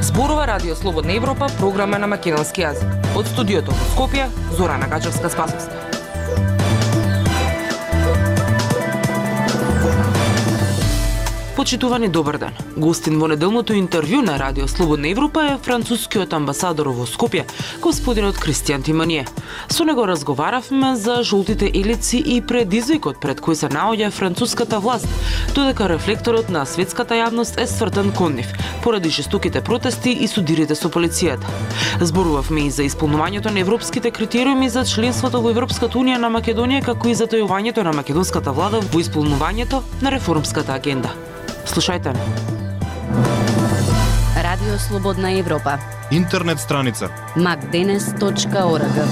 Зборува Радио Слободна Европа, програма на македонски јазик. Од студиото во Скопје, Зорана Гачевска-Спасовска. Почитувани, добар ден. Гостин во неделното интервју на Радио Слободна Европа е францускиот амбасадор во Скопје, господинот Кристијан Тимоние. Со него разговаравме за жолтите елици и предизвикот пред кој се наоѓа француската власт, додека рефлекторот на светската јавност е свртен кон нив, поради жестоките протести и судирите со полицијата. Зборувавме и за исполнувањето на европските критериуми за членството во Европската унија на Македонија, како и за тојувањето на македонската влада во исполнувањето на реформската агенда. Слушајте ме. Радио Слободна Европа. Интернет страница macdenes.org.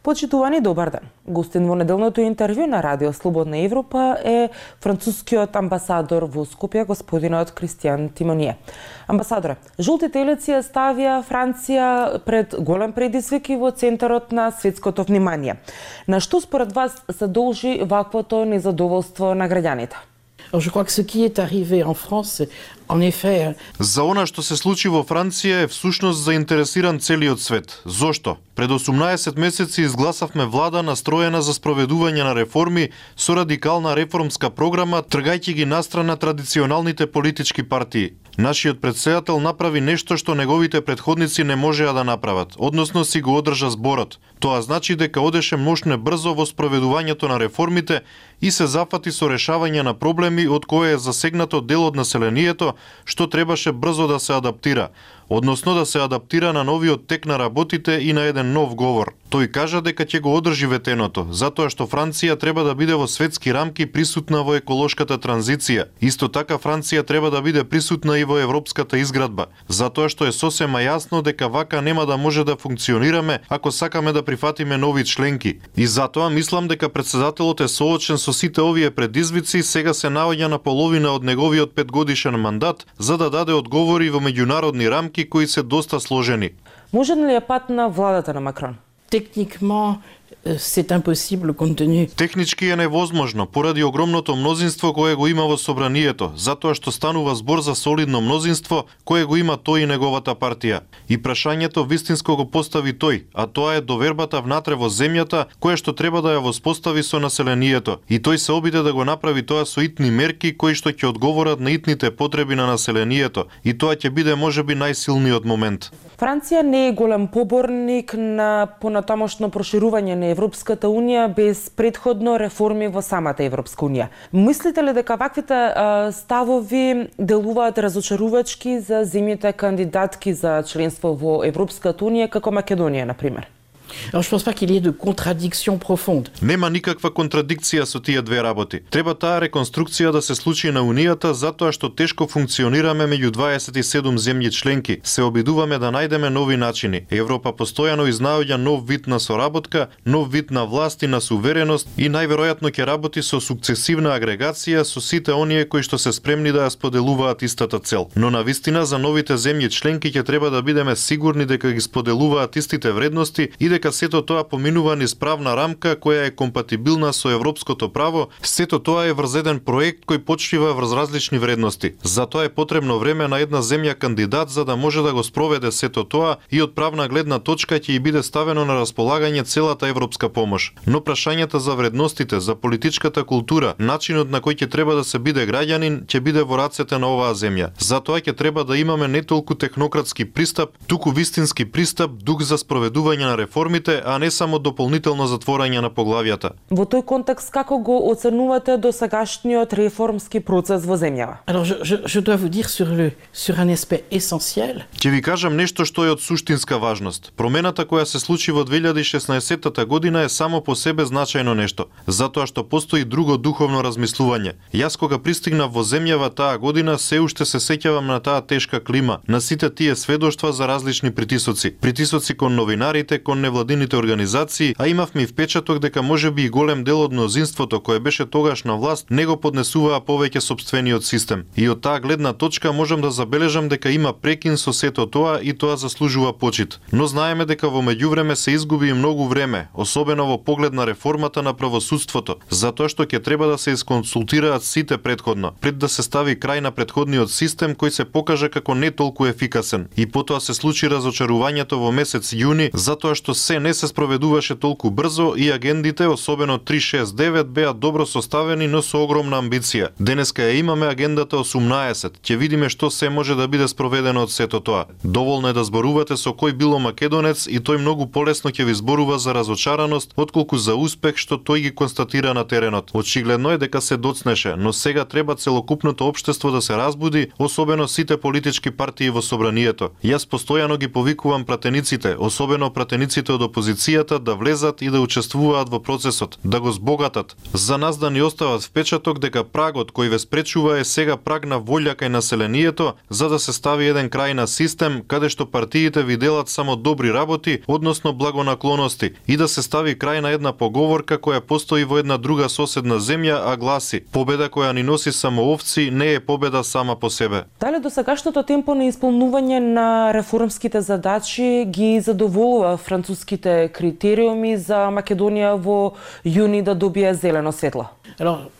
Почитувани, добар ден. Гостин во неделното интервју на Радио Слободна Европа е францускиот амбасадор во Скопје, господинот Кристијан Тимоние. Амбасадоре, жолтите елици ја ставија Франција пред голем предизвик и во центарот на светското внимание. На што според вас се должи ваквото незадоволство на граѓаните? Alors, je crois que ce qui est arrivé en France, en effet... За она што се случи во Франција е всушност заинтересиран целиот свет. Зошто? Пред 18 месеци изгласавме влада настроена за спроведување на реформи со радикална реформска програма, тргајќи ги настрана традиционалните политички партии. Нашиот председател направи нешто што неговите претходници не можеа да направат, односно си го одржа зборот. Тоа значи дека одеше мощно брзо во спроведувањето на реформите и се зафати со решавање на проблеми од кои е засегнато дел од населението, што требаше брзо да се адаптира, односно да се адаптира на новиот тек на работите и на еден нов говор. Тој кажа дека ќе го одржи ветеното, затоа што Франција треба да биде во светски рамки присутна во еколошката транзиција. Исто така Франција треба да биде присутна и во европската изградба, затоа што е сосема јасно дека вака нема да може да функционираме ако сакаме да прифатиме нови членки. И затоа мислам дека председателот е соочен со сите овие предизвици, сега се наоѓа на половина од неговиот 5-годишен мандат за да даде одговори во меѓународни рамки кои се доста сложени. Може ли е пат на владата на Макрон? Techniquement, c'est impossible compte tenu. Технички е невозможно поради огромното мнозинство кое го има во собранието, затоа што станува збор за солидно мнозинство кое го има тој и неговата партија. И прашањето вистинско го постави тој, а тоа е довербата внатре во земјата која што треба да ја воспостави со населението. И тој се обиде да го направи тоа со итни мерки кои што ќе одговорат на итните потреби на населението. И тоа ќе биде можеби најсилниот момент. Франција не е голем поборник на понатамошно проширување на Европската унија без предходно реформи во самата Европска унија. Мислите ли дека ваквите ставови делуваат разочарувачки за земјите кандидатки за членство во Европската унија, како Македонија, например? Alors, je pense pas qu'il y ait de contradiction profonde. Нема никаква контрадикција со тие две работи. Треба таа реконструкција да се случи на Унијата затоа што тешко функционираме меѓу 27 земји членки. Се обидуваме да најдеме нови начини. Европа постојано изнаоѓа нов вид на соработка, нов вид на власт и на сувереност и најверојатно ќе работи со сукцесивна агрегација со сите оние кои што се спремни да ја споделуваат истата цел. Но навистина за новите земји членки ќе треба да бидеме сигурни дека ги споделуваат истите вредности и дека сето тоа поминува низ правна рамка која е компатибилна со европското право, сето тоа е врз еден проект кој почива врз различни вредности. Затоа е потребно време на една земја кандидат за да може да го спроведе сето тоа и од правна гледна точка ќе и биде ставено на располагање целата европска помош. Но прашањата за вредностите, за политичката култура, начинот на кој ќе треба да се биде граѓанин, ќе биде во рацете на оваа земја. Затоа ќе треба да имаме не толку технократски пристап, туку вистински пристап, дух за спроведување на реформи, а не само дополнително затворање на поглавјата. Во тој контекст, како го оценувате досегашниот реформски процес во земјава? Alors, je dois vous dire sur un aspect essentiel. Ќе ви кажам нешто што е од суштинска важност. Промената која се случи во 2016 година е само по себе значајно нешто, затоа што постои друго духовно размислување. Јас кога пристигнав во земјава таа година, се уште се сеќавам на таа тешка клима, на сите тие сведоштва за различни притисоци. Притисоци кон новинарите, кон невладините невладините организации, а имавме и впечаток дека можеби и голем дел од мнозинството кое беше тогаш на власт не го поднесуваа повеќе сопствениот систем. И од таа гледна точка можам да забележам дека има прекин со сето тоа и тоа заслужува почит. Но знаеме дека во меѓувреме се изгуби и многу време, особено во поглед на реформата на правосудството, затоа што ќе треба да се исконсултираат сите претходно, пред да се стави крај на претходниот систем кој се покажа како не толку ефикасен. И потоа се случи разочарувањето во месец јуни, затоа што се не се спроведуваше толку брзо и агендите, особено 369, беа добро составени, но со огромна амбиција. Денеска ја имаме агендата 18. Ќе видиме што се може да биде спроведено од сето тоа. Доволно е да зборувате со кој било македонец и тој многу полесно ќе ви зборува за разочараност отколку за успех што тој ги констатира на теренот. Очигледно е дека се доцнеше, но сега треба целокупното општество да се разбуди, особено сите политички партии во собранието. Јас постојано ги повикувам пратениците, особено пратениците од опозицијата, да влезат и да учествуваат во процесот, да го збогатат. За нас да ни остават впечаток дека прагот кој ве спречува е сега праг на волја кај населението, за да се стави еден крај на систем каде што партиите ви делат само добри работи, односно благонаклоности, и да се стави крај на една поговорка која постои во една друга соседна земја, а гласи: победа која ни носи само овци не е победа сама по себе. Дали досегашното темпо на исполнување на реформските задачи ги задоволува француските критериуми за Македонија во јуни да добие зелено светло? Alors,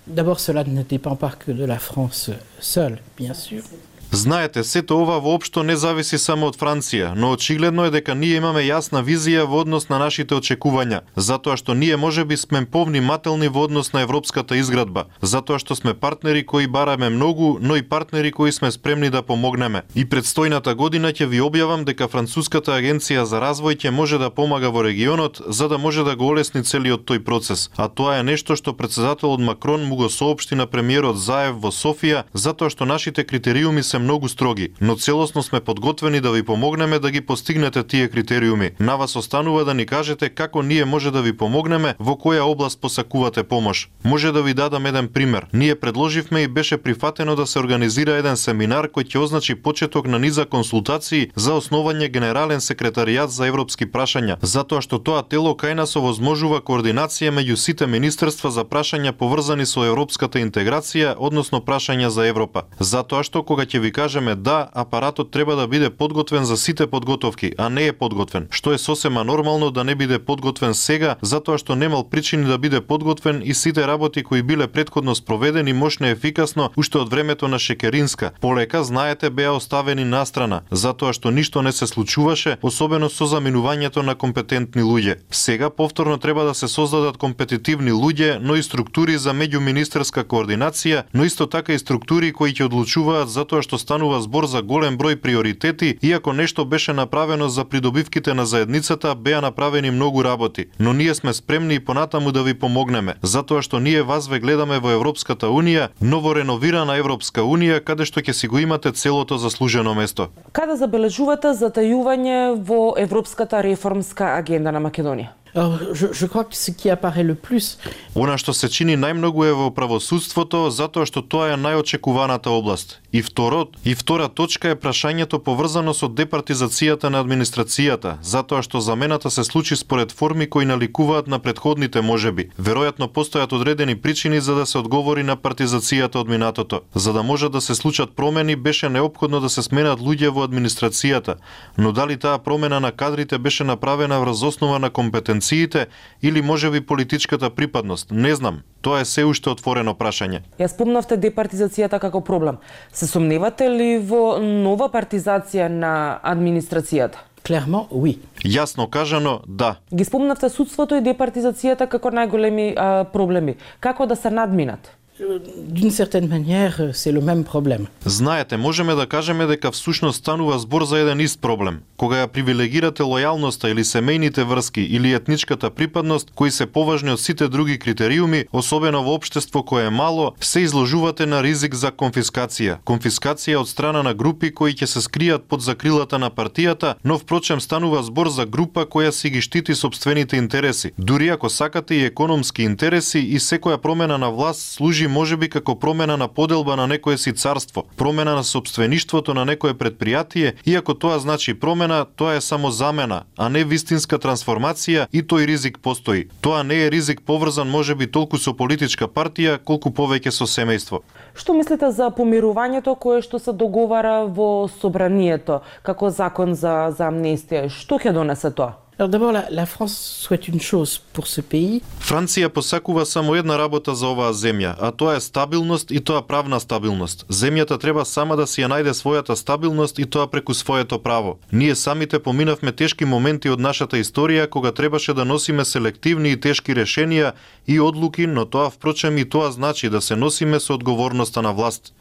d'abord, cela ne dépend pas que de la France seule, bien sûr. Знаете, сето ова воопшто не зависи само од Франција, но очигледно е дека ние имаме јасна визија во однос на нашите очекувања, затоа што ние можеби сме повнимателни во однос на европската изградба, затоа што сме партнери кои бараме многу, но и партнери кои сме спремни да помогнеме. И предстојната година ќе ви објавам дека Француската агенција за развој ќе може да помага во регионот, за да може да го олесни целиот тој процес. А тоа е нешто што претседателот Макрон му го соопшти на премиерот Заев во Софија, затоа што нашите критериуми се многу строги, но целосно сме подготвени да ви помогнеме да ги постигнете тие критериуми. На вас останува да ни кажете како ние може да ви помогнеме, во која област посакувате помош. Може да ви дадам еден пример. Ние предложивме и беше прифатено да се организира еден семинар кој ќе означи почеток на низа консултации за основање Генерален секретаријат за европски прашања, затоа што тоа тело кај нас овозможува координација меѓу сите министерства за прашања поврзани со европската интеграција, односно прашања за Европа. Затоа што кога ќе ви кажеме да, апаратот треба да биде подготвен за сите подготовки, а не е подготвен, што е сосема нормално да не биде подготвен сега, затоа што немал причини да биде подготвен и сите работи кои биле претходно спроведени мощно ефикасно уште од времето на Шекеринска. Полека, знаете, беа оставени настрана, затоа што ништо не се случуваше, особено со заминувањето на компетентни луѓе. Сега повторно треба да се создадат компетитивни луѓе, но и структури за меѓуминистерска координација, но исто така и структури кои ќе одлучуваат затоа што станува збор за голем број приоритети, иако нешто беше направено за придобивките на заедницата, беа направени многу работи. Но ние сме спремни и понатаму да ви помогнеме, затоа што ние вас ве гледаме во Европската Унија, ново реновирана Европска Унија, каде што ќе си го имате целото заслужено место. Каде забележувате затајување во европската реформска агенда на Македонија? Alors, je crois que ce qui apparaît le plus... Она што се чини најмногу е во правосудството, затоа што тоа е најочекуваната област. И втора точка е прашањето поврзано со департизацијата на администрацијата, затоа што замената се случи според форми кои наликуваат на претходните можеби. Веројатно постојат одредени причини за да се одговори на партизацијата од минатото. За да може да се случат промени, беше неопходно да се сменат луѓе во администрацијата, но дали таа промена на кадрите беше направена врз основа на компетенциите или можеби политичката припадност, не знам. Тоа е се уште отворено прашање. Ја спомнавте департизацијата како проблем. Се сомневате ли во нова партизација на администрацијата? Clairement, oui. Јасно кажано, да. Ги спомнавте судството и департизацијата како најголеми проблеми. Како да се надминат? D'une certaine manière, c'est le même problème. Знаете, можеме да кажеме дека всушност станува збор за еден ист проблем. Кога ја привилегирате лојалноста или семејните врски или етничката припадност, кои се поважни од сите други критериуми, особено во општество кое е мало, се изложувате на ризик за конфискација. Конфискација од страна на групи кои ќе се скријат под закрилата на партијата, но впрочем станува збор за група која си ги штити сопствените интереси. Дури ако сакате и економски интереси, и секоја промена на власт служи можеби како промена на поделба на некое си царство, промена на сопствеништвото на некое предпријатие, иако тоа значи промена замена, тоа е само замена, а не вистинска трансформација и тој ризик постои. Тоа не е ризик поврзан можеби толку со политичка партија, колку повеќе со семејство. Што мислите за помирувањето кое што се договара во собранието како закон за амнестија? Што ќе донесе тоа? Alors d'abord, la France souhaite une chose pour ce pays. Франција посакува само една работа за оваа земја, а тоа е стабилност и тоа правна стабилност. Земјата треба сама да си ја најде својата стабилност и тоа преку своето право. Ние самите поминавме тешки моменти од нашата историја кога требаше да носиме селективни и тешки решенија и одлуки, но тоа впрочем и тоа значи да се носиме со одговорноста на власт.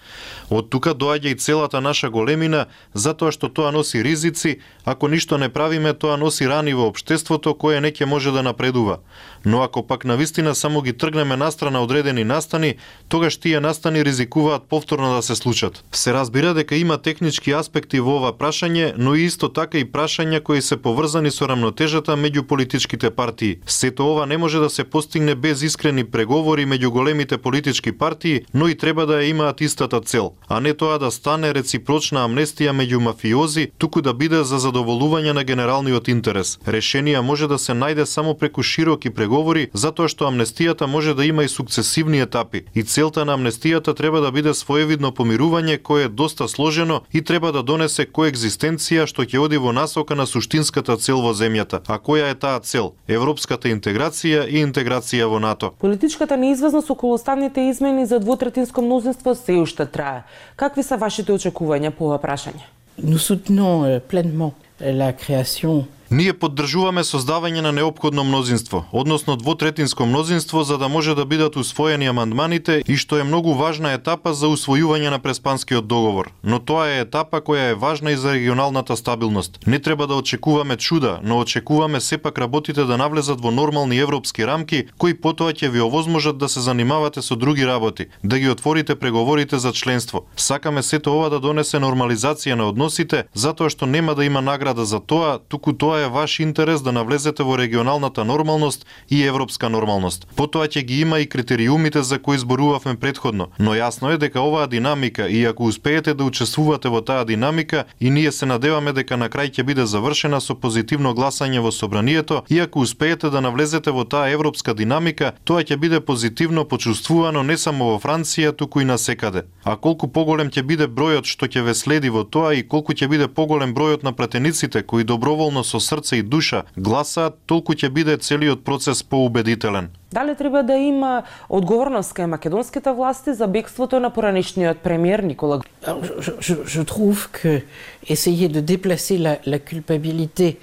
Од тука доаѓа и целата наша големина, затоа што тоа носи ризици, ако ништо не правиме, тоа носи рани во општеството кое не ќе може да напредува. Но ако пак навистина само ги тргнеме настрана одредени настани, тогаш тие настани ризикуваат повторно да се случат. Се разбира дека има технички аспекти во ова прашање, но и исто така и прашања кои се поврзани со рамнотежата меѓу политичките партии. Сето ова не може да се постигне без искрени преговори меѓу големите политички партии, но и треба да ја имаат истата цел, а не тоа да стане реципрочна амнестија меѓу мафиози, туку да биде за задоволување на генералниот интерес. Решенија може да се најде само преку широки преговори, затоа што амнестијата може да има и сукцесивни етапи. И целта на амнестијата треба да биде своевидно помирување кое е доста сложено и треба да донесе коегзистенција што ќе оди во насока на суштинската цел во земјата. А која е таа цел? Европската интеграција и интеграција во НАТО. Политичката неизвестност околу уставните измени за двотретинско мнозинство се уште трае. Какви се вашите очекувања по ова прашање? Nous soutenons pleinement la création. Ние поддржуваме создавање на неопходно мнозинство, односно двотретинско мнозинство, за да може да бидат усвоени амандманите и што е многу важна етапа за усвојување на Преспанскиот договор. Но тоа е етапа која е важна и за регионалната стабилност. Не треба да очекуваме чуда, но очекуваме сепак работите да навлезат во нормални европски рамки, кои потоа ќе ви овозможат да се занимавате со други работи, да ги отворите преговорите за членство. Сакаме сето ова да донесе нормализација на односите, затоа што нема да има награда за тоа, туку тоа е ваш интерес да навлезете во регионалната нормалност и европска нормалност. Потоа ќе ги има и критериумите за кои зборувавме претходно, но јасно е дека оваа динамика и ако успеете да учествувате во таа динамика, и ние се надеваме дека на крај ќе биде завршена со позитивно гласање во собранието, и ако успеете да навлезете во таа европска динамика, тоа ќе биде позитивно почувствувано не само во Франција, туку и насекаде. А колку поголем ќе биде бројот што ќе ве следи во тоа и колку ќе биде поголем бројот на пратениците кои доброволно со срце и душа гласаат, толку ќе биде целиот процес поубедителен. Дали треба да има одговорност кај македонските власти за бегството на поранешниот премиер Никола? Je trouve que essayer de déplacer la culpabilité.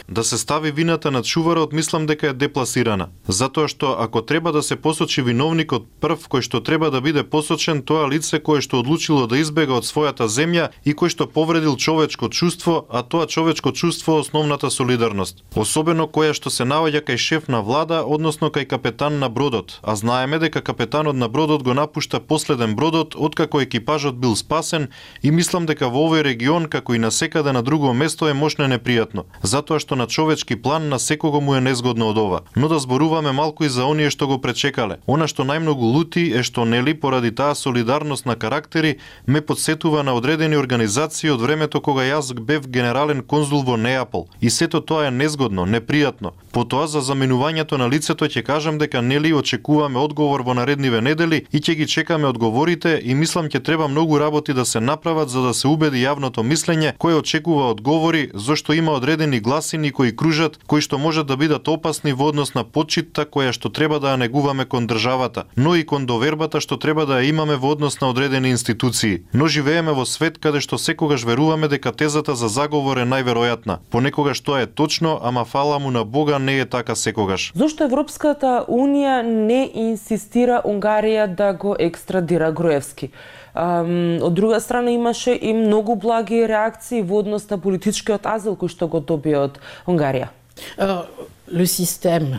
Да се стави вината над шуварот, мислам дека е депласирана. Затоа што ако треба да се посочи виновникот прв кој што треба да биде посочен, тоа лице кое што одлучило да избега од својата земја и кој што повредил човечко чувство, а тоа човечко чувство е основната солидарност. Особено која што се наоѓа кај шеф на влада, односно кај капетан на бродот, а знаеме дека капетанот на бродот го напушта последен бродот откако екипажот бил спасен, и мислам дека во овој регион, како и насекаде на друго место, е мошно непријатно, затоа што на човечки план на секого му е незгодно од ова. Но да зборуваме малку и за оние што го пречекале. Она што најмногу лути е што нели поради таа солидарност на карактери ме подсетува на одредени организации од времето кога јас бев генерален конзул во Неапол. И сето тоа е незгодно, непријатно. Потоа за заменувањето на лицето ќе кажам дека нели очекуваме одговор во наредниве недели и ќе ги чекаме одговорите, и мислам ќе треба многу работи да се направат за да се убеди јавното мислење кое очекува одговори, зашто има одредени гласини кои кружат, кои што можат да бидат опасни во однос на почитта која што треба да ја негуваме кон државата, но и кон довербата што треба да ја имаме во однос на одредени институции. Но живееме во свет каде што секогаш веруваме дека тезата за заговор е најверојатна. Понекогаш тоа е точно, ама фала му на Бога не е така секогаш. Зошто Европската Унија не инсистира Унгарија да го екстрадира Груевски? Од друга страна имаше и многу благи реакции во однос на политичкиот азил кој што го добија од Унгарија.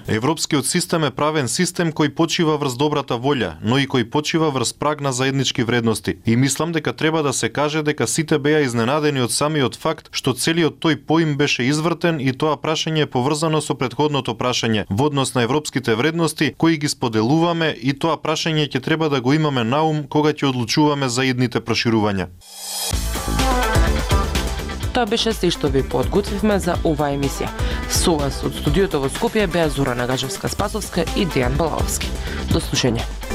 Европскиот систем е правен систем кој почива врз добрата волја, но и кој почива врз праг на заеднички вредности. И мислам дека треба да се каже дека сите беа изненадени од самиот факт што целиот тој поим беше извртен, и тоа прашање е поврзано со претходното прашање во однос на европските вредности кои ги споделуваме, и тоа прашање ќе треба да го имаме на ум кога ќе одлучуваме за идните проширувања. Тоа беше се што ви подготвивме за оваа емисија. Со вас од студиото во Скопје беа Зора Нагажевска-Спасовска и Дејан Балаовски. До слушање.